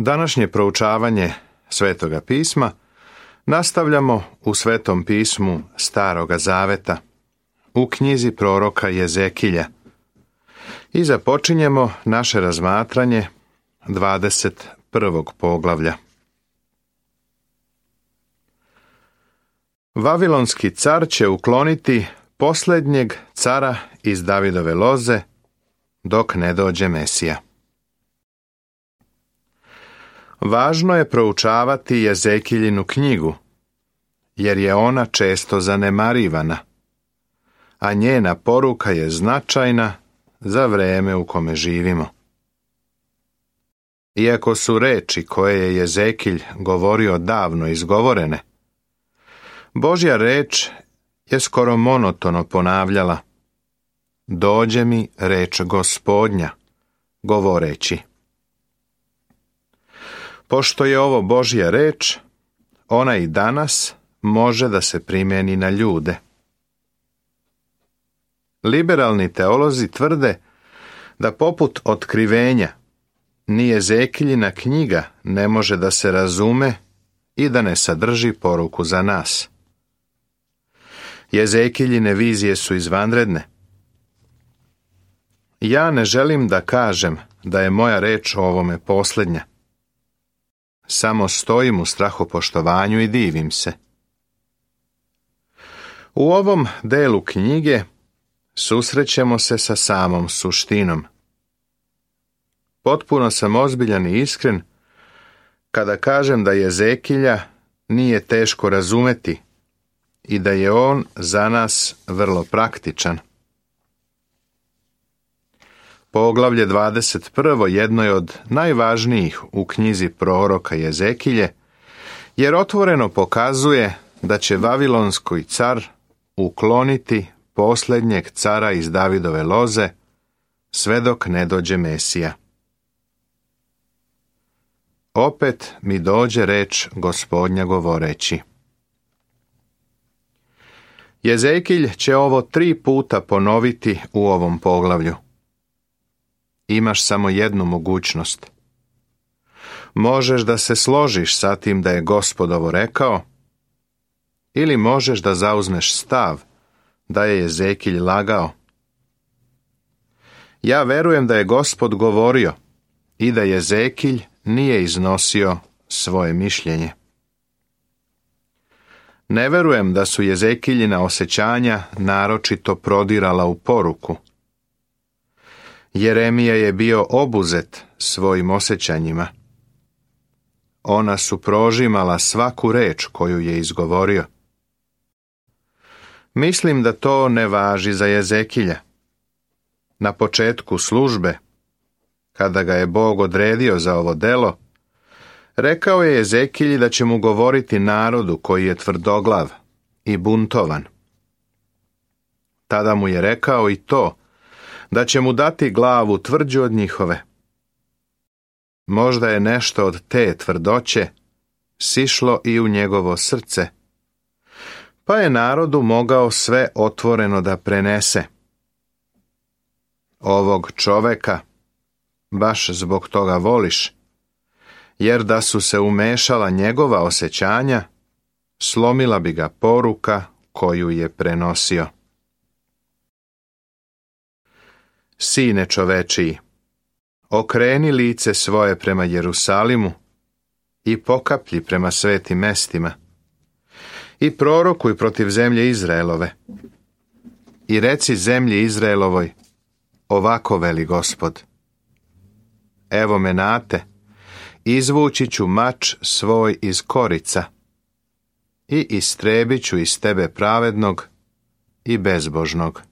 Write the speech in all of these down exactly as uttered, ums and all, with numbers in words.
Današnje proučavanje Svetoga pisma nastavljamo u Svetom pismu Staroga Zaveta, u knjizi proroka Jezekilja, i započinjemo naše razmatranje dvadeset prvog poglavlja. Vavilonski car će ukloniti posljednjeg cara iz Davidove loze dok ne dođe Mesija. Važno je proučavati Jezekiljinu knjigu, jer je ona često zanemarivana, a njena poruka je značajna za vrijeme u kome živimo. Iako su reči koje je Jezekilj govorio davno izgovorene, Božja reč je skoro monotono ponavljala: dođe mi reč Gospodnja, govoreći. Pošto je ovo Božja reč, ona i danas može da se primjeni na ljude. Liberalni teolozi tvrde da poput otkrivenja ni Jezekiljina knjiga ne može da se razume i da ne sadrži poruku za nas. Jezekiljine vizije su izvanredne. Ja ne želim da kažem da je moja reč o ovome posljednja. Samo stojim u strahopoštovanju i divim se. U ovom delu knjige susrećemo se sa samom suštinom. Potpuno sam ozbiljan i iskren kada kažem da Jezekilja nije teško razumeti i da je on za nas vrlo praktičan. Poglavlje dvadeset prvo jedno je od najvažnijih u knjizi proroka Jezekilje, jer otvoreno pokazuje da će vavilonski car ukloniti posljednjeg cara iz Davidove loze sve dok ne dođe Mesija. Opet mi dođe reč Gospodnja govoreći. Jezekilj će ovo tri puta ponoviti u ovom poglavlju. Imaš samo jednu mogućnost. Možeš da se složiš sa tim da je Gospod ovo rekao, ili možeš da zauzmeš stav da je Jezekilj lagao. Ja verujem da je Gospod govorio i da Jezekilj nije iznosio svoje mišljenje. Ne verujem da su Jezekiljina osjećanja naročito prodirala u poruku. Jeremija je bio obuzet svojim osjećanjima. Ona su prožimala svaku reč koju je izgovorio. Mislim da to ne važi za Jezekilja. Na početku službe, kada ga je Bog odredio za ovo delo, rekao je Jezekilji da će mu govoriti narodu koji je tvrdoglav i buntovan. Tada mu je rekao i to, da će mu dati glavu tvrđu od njihove. Možda je nešto od te tvrdoće sišlo i u njegovo srce, pa je narodu mogao sve otvoreno da prenese. Ovog čoveka baš zbog toga voliš, jer da su se umešala njegova osjećanja, slomila bi ga poruka koju je prenosio. Sine čovečiji, okreni lice svoje prema Jerusalimu i pokaplji prema svetim mestima i prorokuj protiv zemlje Izraelove i reci zemlji Izraelovoj, ovako veli Gospod. Evo me nate, izvući ću mač svoj iz korica i istrebit ću iz tebe pravednog i bezbožnog.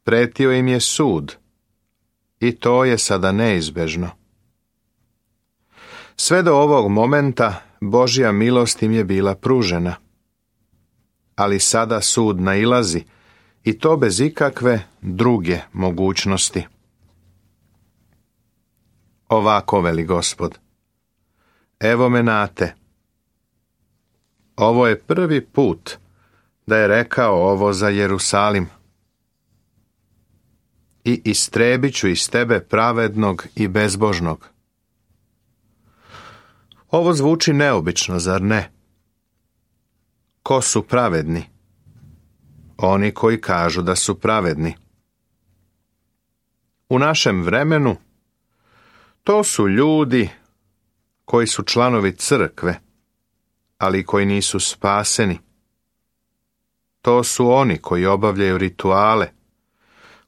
Pretio im je sud, i to je sada neizbežno. Sve do ovog momenta Božja milost im je bila pružena, ali sada sud nailazi, i to bez ikakve druge mogućnosti. Ovako veli Gospod, evo me nate. Ovo je prvi put da je rekao ovo za Jerusalim. i istrebit ću iz tebe pravednog i bezbožnog. Ovo zvuči neobično, zar ne? Ko su pravedni? Oni koji kažu da su pravedni. U našem vremenu to su ljudi koji su članovi crkve, ali koji nisu spaseni. To su oni koji obavljaju rituale,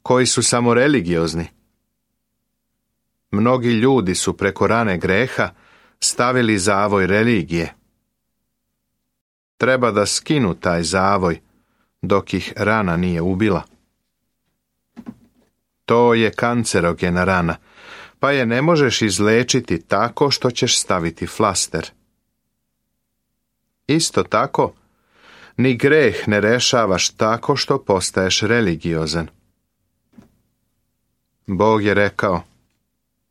koji su samo religiozni. Mnogi ljudi su preko rane greha stavili zavoj religije. Treba da skinu taj zavoj dok ih rana nije ubila. To je kancerogena rana, pa je ne možeš izlečiti tako što ćeš staviti flaster. Isto tako, ni greh ne rešavaš tako što postaješ religiozan. Bog je rekao,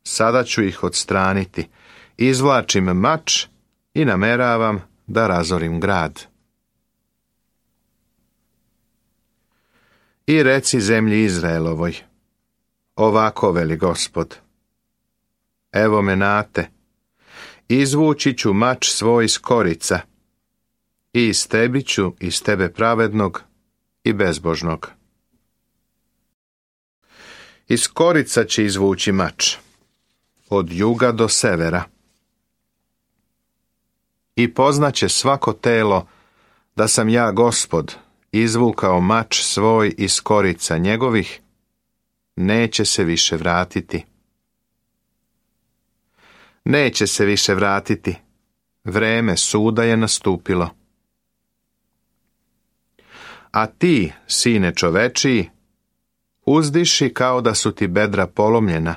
sada ću ih odstraniti, izvlačim mač i nameravam da razorim grad. I reci zemlji Izraelovoj, ovako veli Gospod, evo me nate, izvući ću mač svoj iz korica i istebit ću iz tebe pravednog i bezbožnog. Iz korica će izvući mač, od juga do severa. I poznaće svako telo da sam ja Gospod izvukao mač svoj iz korica njegovih, neće se više vratiti. Neće se više vratiti, vreme suda je nastupilo. A ti, sine čovečiji, uzdiši kao da su ti bedra polomljena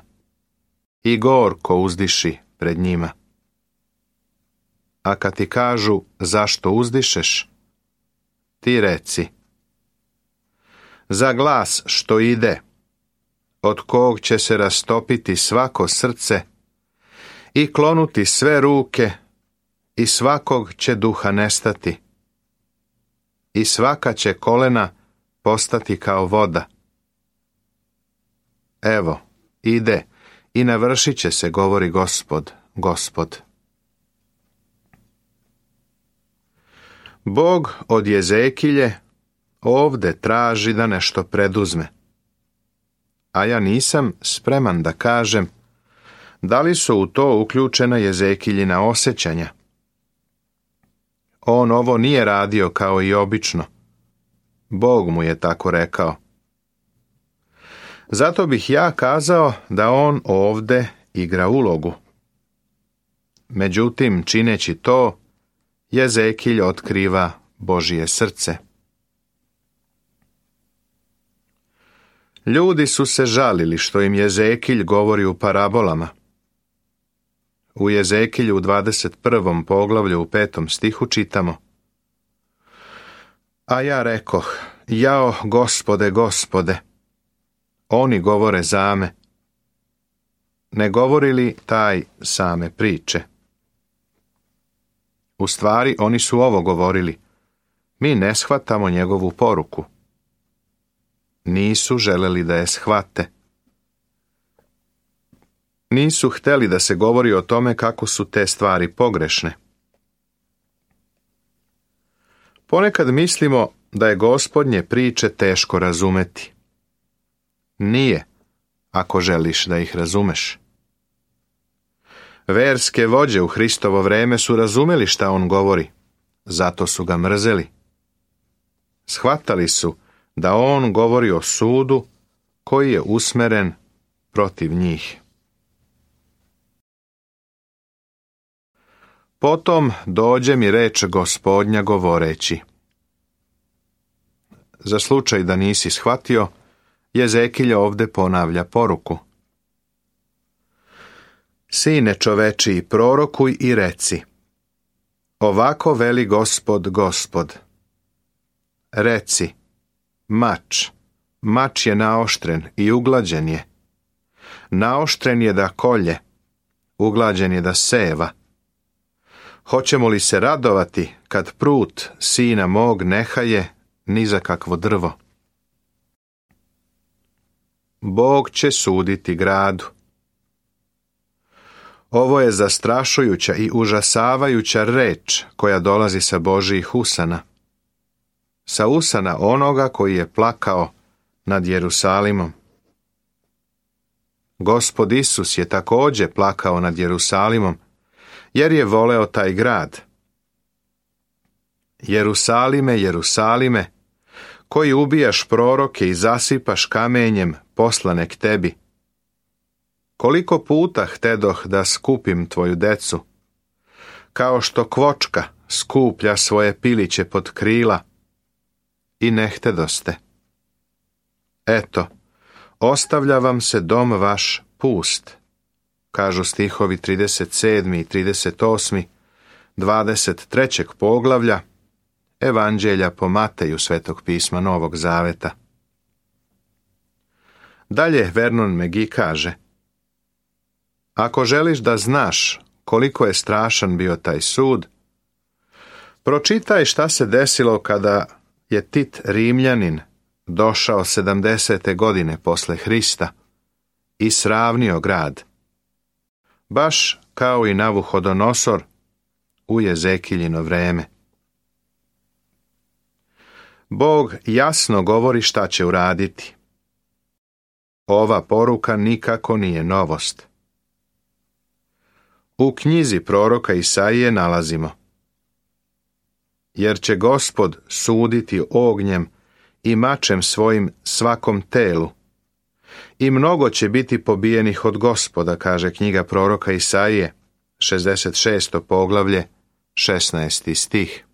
i gorko uzdiši pred njima. A kad ti kažu zašto uzdišeš, ti reci, za glas što ide, od kog će se rastopiti svako srce i klonuti sve ruke i svakog će duha nestati i svaka će kolena postati kao voda. Evo, ide i navršit će se, govori Gospod, Gospod. Bog od Jezekilje ovde traži da nešto preduzme. A ja nisam spreman da kažem da li su u to uključena Jezekiljina osjećanja. On ovo nije radio kao i obično. Bog mu je tako rekao. Zato bih ja kazao da on ovde igra ulogu. Međutim, čineći to, Jezekilj otkriva Božje srce. Ljudi su se žalili što im Jezekilj govori u parabolama. U Jezekilju u dvadeset prvom poglavlju u petom stihu čitamo: A ja rekoh, jao Gospode, Gospode, oni govore zame. Ne govori li taj same priče? U stvari, oni su ovo govorili. Mi ne shvatamo njegovu poruku. Nisu želeli da je shvate. Nisu hteli da se govori o tome kako su te stvari pogrešne. Ponekad mislimo da je Gospodnje priče teško razumeti. Nije, ako želiš da ih razumeš. Verske vođe u Hristovo vreme su razumeli šta on govori, zato su ga mrzeli. Shvatali su da on govori o sudu koji je usmeren protiv njih. Potom dođe mi reč Gospodnja govoreći. Za slučaj da nisi shvatio, Jezekilj ovde ponavlja poruku. Sine čovečiji, prorokuj i reci, ovako veli Gospod, Gospod. Reci, mač, mač je naoštren i uglađen je. Naoštren je da kolje, uglađen je da seva. Hoćemo li se radovati kad prut sina mog nehaje ni za kakvo drvo? Bog će suditi gradu. Ovo je zastrašujuća i užasavajuća reč koja dolazi sa Božjih usana. Sa usana onoga koji je plakao nad Jerusalimom. Gospod Isus je također plakao nad Jerusalimom, jer je voleo taj grad. Jerusalime, Jerusalime, koji ubijaš proroke i zasipaš kamenjem poslane k tebi. Koliko puta htedoh da skupim tvoju decu, kao što kvočka skuplja svoje piliće pod krila, i ne htedoste. Eto, ostavlja vam se dom vaš pust, kažu stihovi trideset sedmi i trideset osmi, dvadeset trećeg poglavlja Evanđelja po Mateju Svetog pisma Novog Zaveta. Dalje Vernon McGee kaže: ako želiš da znaš koliko je strašan bio taj sud, pročitaj šta se desilo kada je Tit Rimljanin došao sedamdesete godine posle Hrista i sravnio grad, baš kao i Navuhodonosor u Jezekiljino vreme. Bog jasno govori šta će uraditi. Ova poruka nikako nije novost. U knjizi proroka Isaije nalazimo: jer će Gospod suditi ognjem i mačem svojim svakom telu, i mnogo će biti pobijenih od Gospoda, kaže knjiga proroka Isaije, šezdeset šesto poglavlje, šesnaesti stih.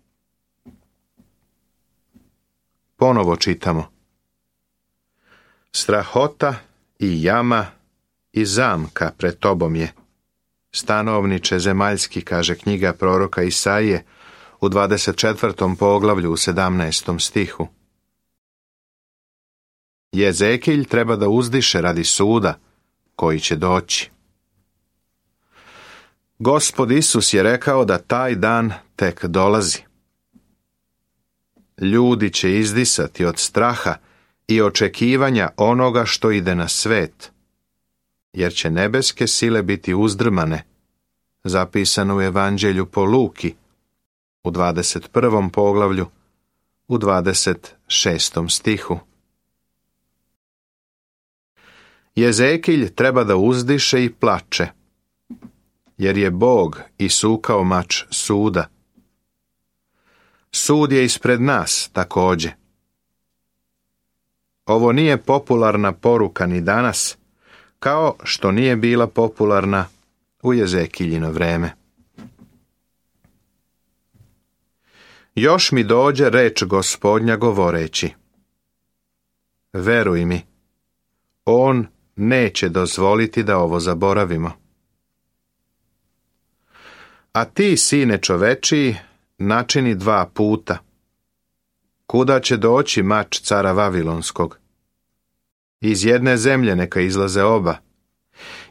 Ponovo čitamo: strahota i jama i zamka pred tobom je, stanovniče zemaljski, kaže knjiga proroka Isaije u dvadeset četvrtom poglavlju u sedamnaestom stihu. Jezekilj treba da uzdiše radi suda koji će doći. Gospod Isus je rekao da taj dan tek dolazi. Ljudi će izdisati od straha i očekivanja onoga što ide na svet, jer će nebeske sile biti uzdrmane, zapisano u Evanđelju po Luki, u dvadeset prvom poglavlju, u dvadeset šestom stihu. Jezekilj treba da uzdiše i plače, jer je Bog isukao mač suda. Sud je ispred nas također. Ovo nije popularna poruka ni danas, kao što nije bila popularna u Jezekiljino vreme. Još mi dođe reč Gospodnja govoreći: veruj mi, on neće dozvoliti da ovo zaboravimo. A ti, sine čovečiji, načini dva puta. Kuda će doći mač cara Vavilonskog? Iz jedne zemlje neka izlaze oba,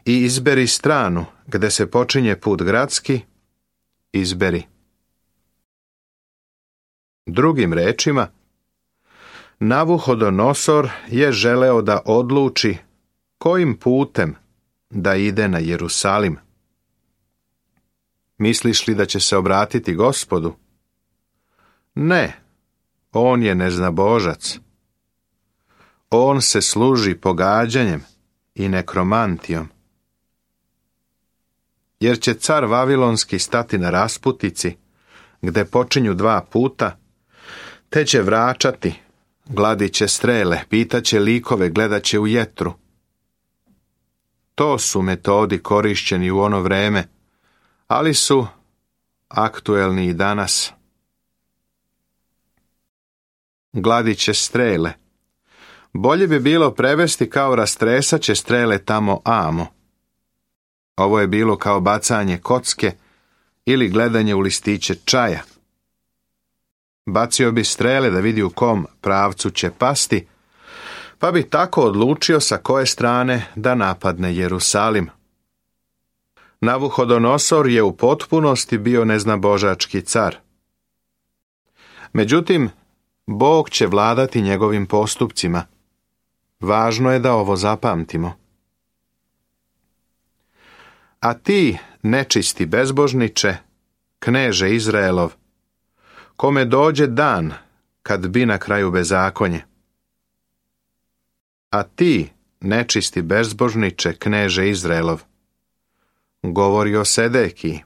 i izberi stranu gde se počinje put gradski, izberi. Drugim rečima, Navuhodonosor je želeo da odluči kojim putem da ide na Jerusalim. Misliš li da će se obratiti Gospodu? Ne, on je neznabožac. On se služi pogađanjem i nekromantijom. Jer će car Vavilonski stati na rasputici, gde počinju dva puta, te će vračati, gladit će strele, pitaće likove, gledat će u jetru. To su metodi korišćeni u ono vreme, ali su aktuelni i danas. Gladit će strele. Bolje bi bilo prevesti kao rastresat će strele tamo amo. Ovo je bilo kao bacanje kocke ili gledanje u listiće čaja. Bacio bi strele da vidi u kom pravcu će pasti, pa bi tako odlučio sa koje strane da napadne Jerusalim. Navuhodonosor je u potpunosti bio neznabožački car. Međutim, Bog će vladati njegovim postupcima. Važno je da ovo zapamtimo. A ti, nečisti bezbožniče, kneže Izraelov, kome dođe dan kad bi na kraju bezakonje. A ti, nečisti bezbožniče, kneže Izraelov, govori o Sedekiji,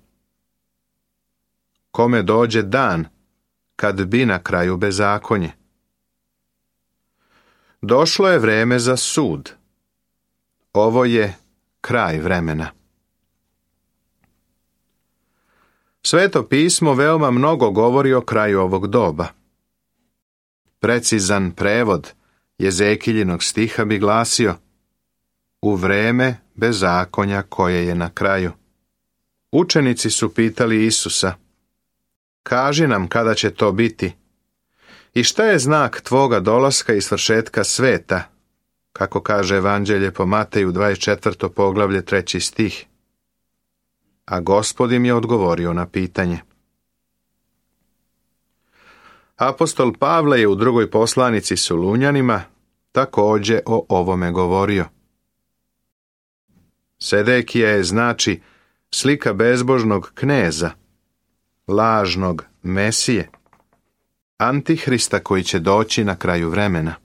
kome dođe dan kad bi na kraju bezakonje. Došlo je vreme za sud. Ovo je kraj vremena. Sveto pismo veoma mnogo govori o kraju ovog doba. Precizan prevod Jezekiljinog stiha bi glasio: u vreme bezakonja koje je na kraju. Učenici su pitali Isusa: kaži nam kada će to biti i šta je znak tvoga dolaska i svršetka sveta, kako kaže Evanđelje po Mateju dvadeset četvrto poglavlje treći stih. A Gospod im je odgovorio na pitanje. Apostol Pavle je u drugoj poslanici Solunjanima također o ovome govorio. Sedekija je znači slika bezbožnog kneza, lažnog Mesije, Antihrista koji će doći na kraju vremena.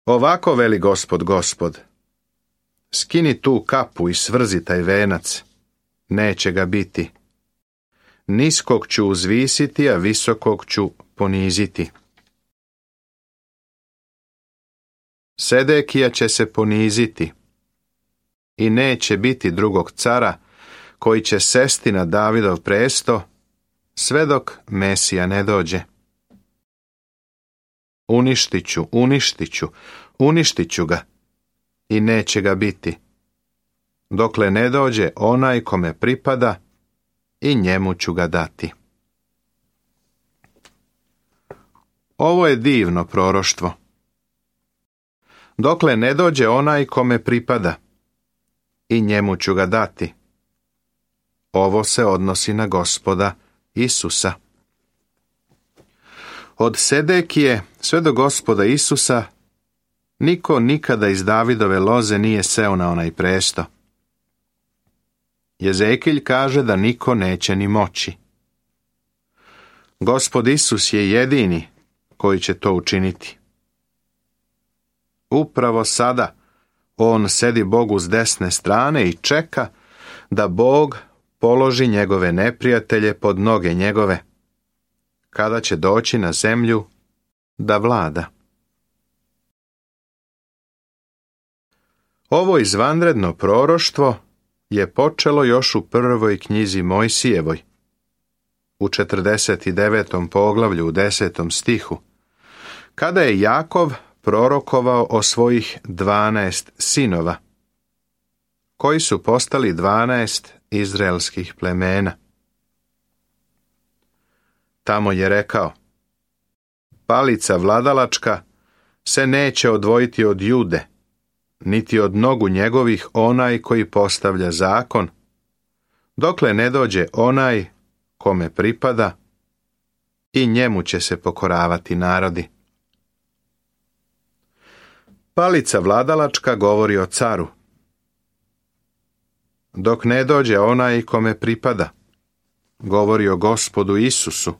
Ovako veli Gospod, Gospod: skini tu kapu i svrzi taj venac, neće ga biti. Niskog ću uzvisiti, a visokog ću poniziti. Sedekija će se poniziti i neće biti drugog cara koji će sesti na Davidov presto sve dok Mesija ne dođe. Uništit ću, uništit ću, uništit ću ga i neće ga biti, dokle ne dođe onaj kome pripada i njemu ću ga dati. Ovo je divno proroštvo. Dokle ne dođe onaj kome pripada i njemu ću ga dati. Ovo se odnosi na Gospoda Isusa. Od Sedekije sve do Gospoda Isusa niko nikada iz Davidove loze nije seo na onaj presto. Jezekilj kaže da niko neće ni moći. Gospod Isus je jedini koji će to učiniti. Upravo sada on sedi Bogu s desne strane i čeka da Bog položi njegove neprijatelje pod noge njegove, kada će doći na zemlju da vlada. Ovo izvanredno proroštvo je počelo još u prvoj knjizi Mojsijevoj, u četrdeset devetom poglavlju u desetom stihu, kada je Jakov prorokovao o svojih dvanaest sinova, koji su postali dvanaest izraelskih plemena. Tamo je rekao: palica vladalačka se neće odvojiti od Jude, niti od nogu njegovih onaj koji postavlja zakon, dokle ne dođe onaj kome pripada i njemu će se pokoravati narodi. Palica vladalačka govori o caru. Dok ne dođe onaj kome pripada, govori o Gospodu Isusu.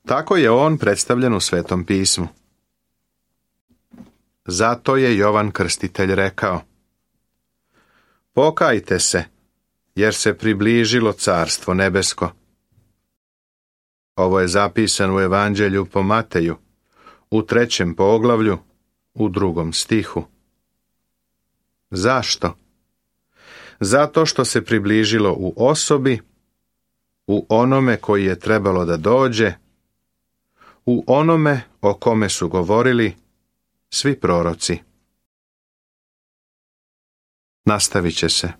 Tako je on predstavljen u Svetom pismu. Zato je Jovan Krstitelj rekao: pokajte se, jer se približilo carstvo nebesko. Ovo je zapisano u Evanđelju po Mateju, u trećem poglavlju, u drugom stihu. Zašto? Zato što se približilo u osobi, u onome koji je trebalo da dođe, u onome o kome su govorili svi proroci. Nastavit će se.